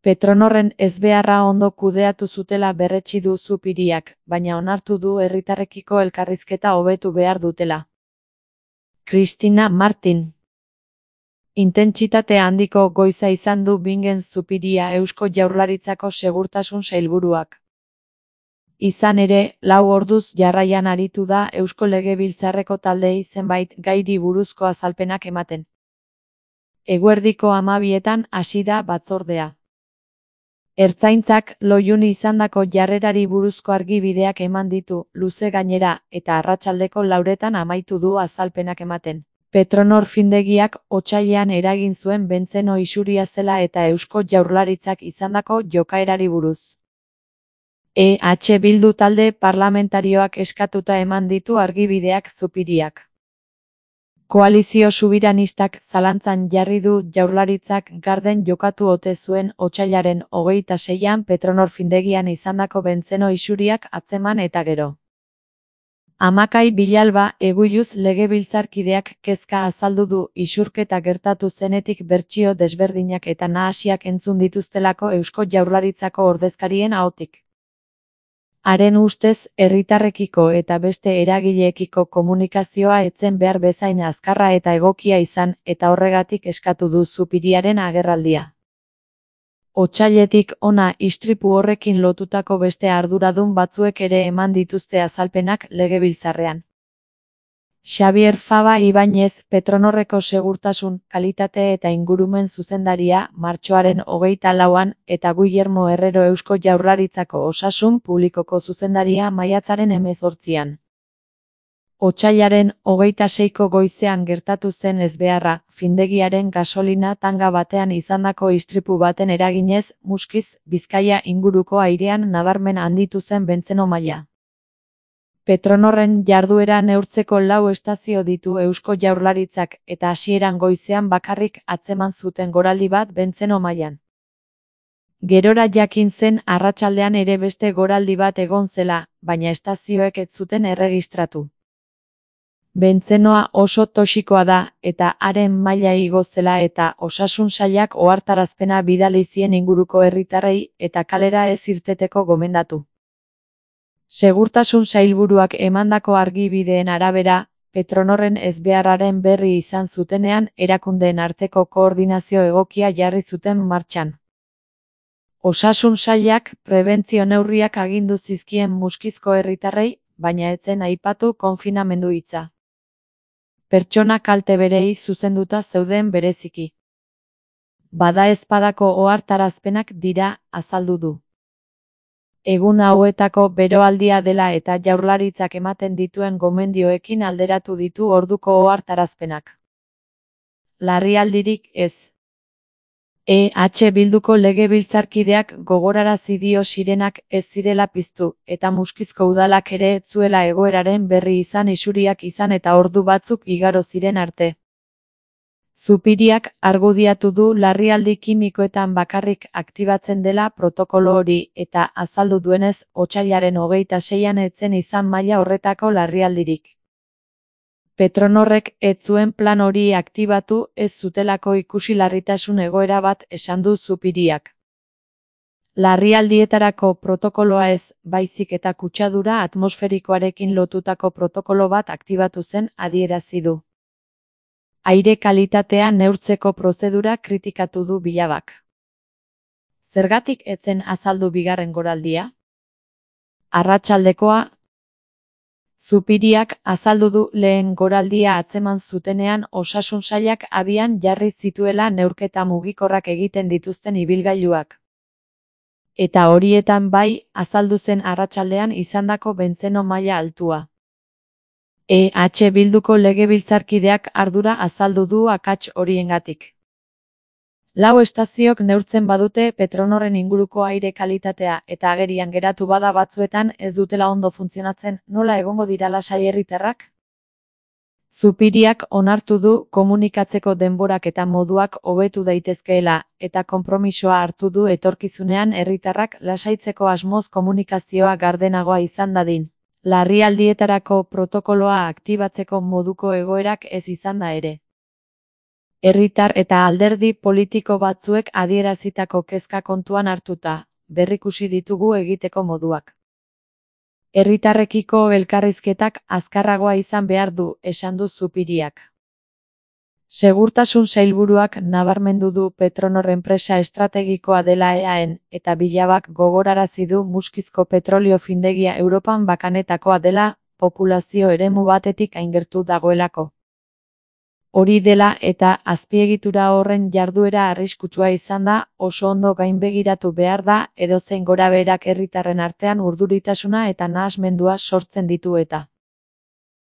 Petronorren ezbeharra ondo kudeatu zutela berretsi du Zupiriak, baina onartu du herritarrekiko elkarrizketa hobetu behar dutela. Cristina Martin. Intentsitate handiko goiza izan du Bingen Zupiria Eusko Jaurlaritzako Segurtasun Sailburuak. Izan ere, 4 orduz jarraian aritu da Eusko Legebiltzarreko taldeei zenbait gairi buruzko azalpenak ematen. Eguerdiko 12etan hasi da batzordea. Ertzaintzak Loiuni izandako jarrerari buruzko argibideak eman ditu, luze gainera, eta arratsaldeko 4etan amaitu du azalpenak ematen. Petronor findegiak otsailean eragin zuen bentzeno isuria zela eta Eusko Jaurlaritzak izandako jokaerari buruz. EH Bildu talde parlamentarioak eskatuta eman ditu argibideak Zupiriak. Koalizio subiranistak zalantzan jarri du Jaurlaritzak garden jokatu ote zuen otsailaren 26an Petronor findegian izandako bentzeno isuriak atzeman eta gero. Amakai Bilalba Eguyuz legebiltzarkideak kezka azaldu du isurketa gertatu zenetik bertsio desberdinak eta nahasiak entzun dituztelako Eusko Jaurlaritzako ordezkarien ahotik. Haren ustez, herritarrekiko eta beste eragileekiko komunikazioa etzen behar bezain azkarra eta egokia izan, eta horregatik eskatu du Zupiriaren agerraldia. Otsailetik hona istripu horrekin lotutako beste arduradun batzuek ere eman dituzte azalpenak legebiltzarrean. Xabier Faba Ibañez, Petronorreko segurtasun, kalitate eta ingurumen zuzendaria, martxoaren 24an, eta Guillermo Herrero Eusko Jaurlaritzako osasun publikoko zuzendaria maiatzaren 18an. Otsailaren 26ko goizean gertatu zen ezbeharra, findegiaren gasolina tanga batean izandako istripu baten eraginez, Muskiz, Bizkaia inguruko airean nabarmen handitu zen bentzeno maila. Petronorren jarduera neurtzeko 4 estazio ditu Eusko Jaurlaritzak eta hasieran goizean bakarrik atzeman zuten goraldi bat bentzeno mailan. Gerora jakin zen arratsaldean ere beste goraldi bat egon zela, baina estazioek ez zuten erregistratu. Bentzenoa oso toxikoa da, eta haren maila igo zela eta osasun sailak ohartarazpena bidali zien inguruko herritarrei eta kalera ez irteteko gomendatu. Segurtasun sailburuak emandako argibideen arabera, Petronorren ezbeharraren berri izan zutenean erakundeen arteko koordinazio egokia jarri zuten martxan. Osasun sailak prebentzio neurriak agindu zizkien Muskizko herritarrei, baina ez zen aipatu konfinamendu hitza. Pertsona kalte berei zuzenduta zeuden bereziki. Badaezpadako ohartarazpenak dira, azaldu du. Egun hauetako beroaldia dela eta Jaurlaritzak ematen dituen gomendioekin alderatu ditu orduko ohartarazpenak. Larrialdirik ez. EH Bilduko legebiltzarkideak gogorarazi dio sirenak ez zirela piztu, eta Muskizko udalak ere ez zuela egoeraren berri izan isuriak izan eta ordu batzuk igaro ziren arte. Zupiriak argudiatu du larrialdi kimikoetan bakarrik aktibatzen dela protokolo hori eta azaldu duenez otsailaren 26an ez zen izan maila horretako larrialdirik. Petronorrek ez zuen plan hori aktibatu ez zutelako ikusi larritasun egoera bat esan du Zupiriak. Larrialdietarako protokoloa ez, baizik eta kutsadura atmosferikoarekin lotutako protokolo bat aktibatu zen adierazi du. Aire kalitatea neurtzeko prozedura kritikatu du Bilabak. Zergatik ez zen azaldu bigarren goraldia? Arratsaldekoa. Zupiriak azaldu du lehen goraldia atzeman zutenean osasun sailak abian jarri zituela neurketa mugikorrak egiten dituzten ibilgailuak. Eta horietan bai, azaldu zen arratsaldean izandako bentzeno maila altua. EH Bilduko legebiltzarkideak ardura azaldu du akats horiengatik. 4 estaziok neurtzen badute Petronorren inguruko aire kalitatea eta agerian geratu bada batzuetan ez dutela ondo funtzionatzen, nola egongo dira lasai herritarrak? Zupiriak onartu du komunikatzeko denborak eta moduak hobetu daitezkeela eta konpromisoa hartu du etorkizunean herritarrak lasaitzeko asmoz komunikazioa gardenagoa izan dadin. Larrialdietarako protokoloa aktibatzeko moduko egoerak ez izan da ere. Herritar eta alderdi politiko batzuek adierazitako kezka kontuan hartuta, berrikusi ditugu egiteko moduak. Herritarrekiko elkarrizketak azkarragoa izan behar du, esan du Zupiriak. Segurtasun sailburuak nabarmendu du Petronor enpresa estrategikoa dela EAEn, eta Bilabak gogorarazi du Muskizko petrolio findegia Europan bakanetakoa dela, populazio eremu batetik hain gertu dagoelako. Hori dela eta azpiegitura horren jarduera arriskutsua izan da, oso ondo gainbegiratu behar da, edozein gorabeherak herritarren artean urduritasuna eta nahasmendua sortzen ditu eta